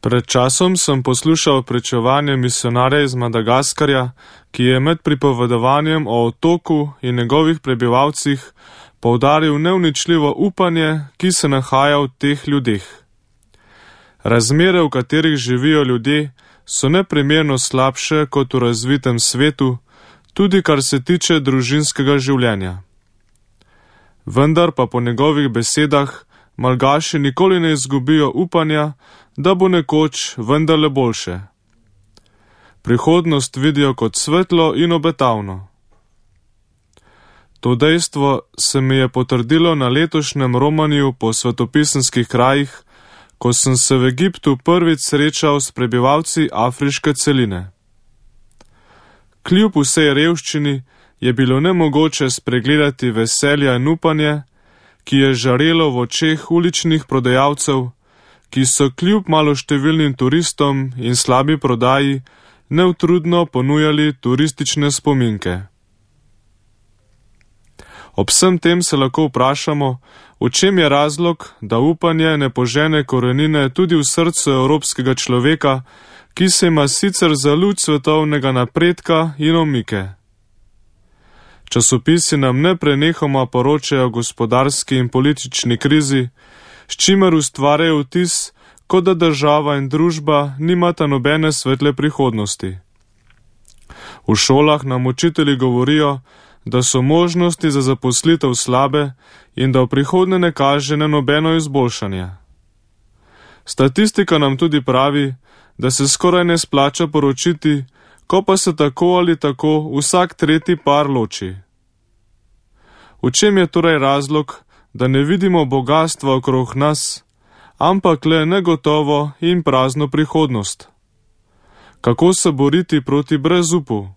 Pred časom sem poslušal pričevanje misionarja iz Madagaskarja, ki je med pripovedovanjem o otoku in njegovih prebivalcih poudaril neuničljivo upanje, ki se nahaja v teh ljudeh. Razmere, v katerih živijo ljudje, so neprimerno slabše kot v razvitem svetu, tudi kar se tiče družinskega življenja. Vendar pa po njegovih besedah Malgaši nikoli ne izgubijo upanja, da bo nekoč vendarle boljše. Prihodnost vidijo kot svetlo in obetavno. To dejstvo se mi je potrdilo na letošnjem romanju po svetopisemskih krajih, ko sem se v Egiptu prvič srečal s prebivalci afriške celine. Kljub vsej revščini je bilo nemogoče spregledati veselja in upanje, ki je žarelo v očeh uličnih prodajalcev, ki so kljub maloštevilnim turistom in slabi prodaji neutrudno ponujali turistične spominke. Ob vsem tem se lahko vprašamo, v čem je razlog, da upanje ne požene korenine tudi v srcu evropskega človeka, ki se ima sicer za luč svetovnega napredka in omike. Časopisi nam neprenehoma poročajo o gospodarski in politični krizi, s čimer ustvarjajo vtis, kot da država in družba nimata nobene svetle prihodnosti. V šolah nam učitelji govorijo, da so možnosti za zaposlitev slabe in da v prihodnje ne kaže na nobeno izboljšanje. Statistika nam tudi pravi, da se skoraj ne splača poročiti, ko pa se tako ali tako vsak tretji par loči. V čem je torej razlog, da ne vidimo bogatstva okrog nas, ampak le negotovo in prazno prihodnost? Kako se boriti proti brezupu?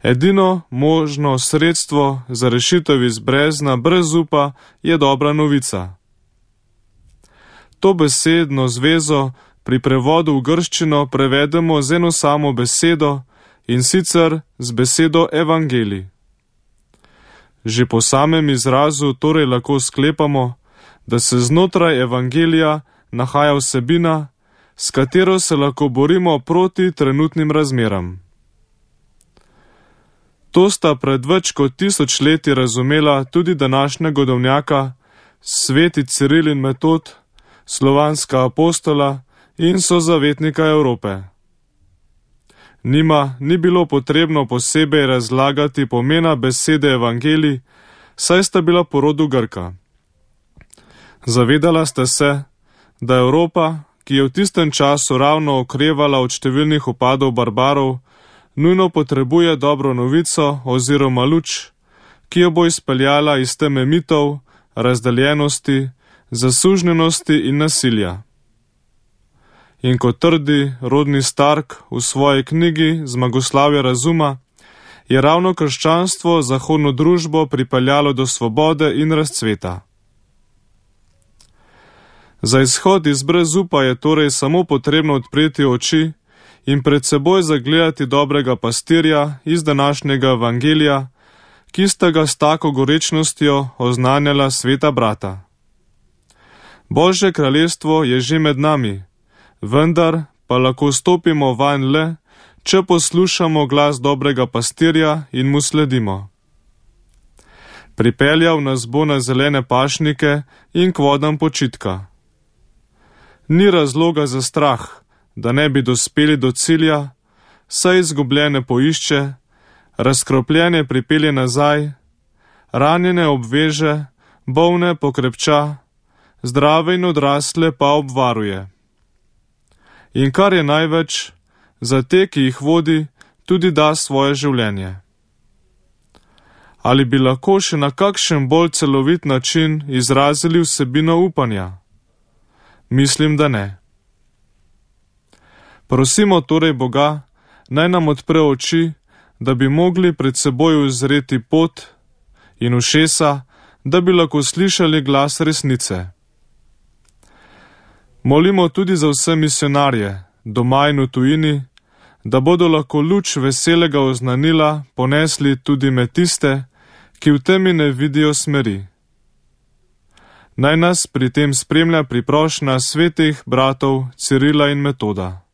Edino možno sredstvo za rešitev iz brezna brezupa je dobra novica. To besedno zvezo pri prevodu v grščino prevedemo z eno samo besedo, in sicer z besedo evangelij. Že po samem izrazu torej lahko sklepamo, da se znotraj evangelija nahaja vsebina, s katero se lahko borimo proti trenutnim razmeram. To sta pred več kot 1000 leti razumela tudi današnja godovnjaka, sveti Ciril in Metod, slovanska apostola in sozavetnika Evrope. Njima ni bilo potrebno posebej razlagati pomena besede evangelij, saj sta bila po rodu Grka. Zavedala sta se, da Evropa, ki je v tistem času ravno okrevala od številnih upadov barbarov, nujno potrebuje dobro novico oziroma luč, ki jo bo izpeljala iz teme mitov, razdeljenosti, zasužnjenosti in nasilja. In kot trdi rodni Stark v svoji knjigi Zmagoslavje razuma, je ravno krščanstvo zahodno družbo pripeljalo do svobode in razcveta. Za izhod iz brezupa je torej samo potrebno odpreti oči in pred seboj zagledati dobrega pastirja iz današnjega evangelija, ki sta ga s tako gorečnostjo oznanjala sveta brata. Božje kraljestvo je že med nami, vendar pa lahko stopimo vanj le, če poslušamo glas dobrega pastirja in mu sledimo. Pripeljal nas bo na zelene pašnike in k vodam počitka. Ni razloga za strah, da ne bi dospeli do cilja, saj izgubljene poišče, razkropljene pripelje nazaj, ranjene obveže, bolne pokrepča, zdrave in odrasle pa obvaruje. In kar je največ, za te, ki jih vodi, tudi da svoje življenje. Ali bi lahko še na kakšen bolj celovit način izrazili vsebino upanja? Mislim, da ne. Prosimo torej Boga, naj nam odpre oči, da bi mogli pred seboj uzreti pot in ušesa, da bi lahko slišali glas resnice. Molimo tudi za vse misionarje, doma in v tujini, da bodo lahko luč veselega oznanila ponesli tudi med tiste, ki v temi ne vidijo smeri. Naj nas pri tem spremlja priprošnja svetih bratov Cirila in Metoda.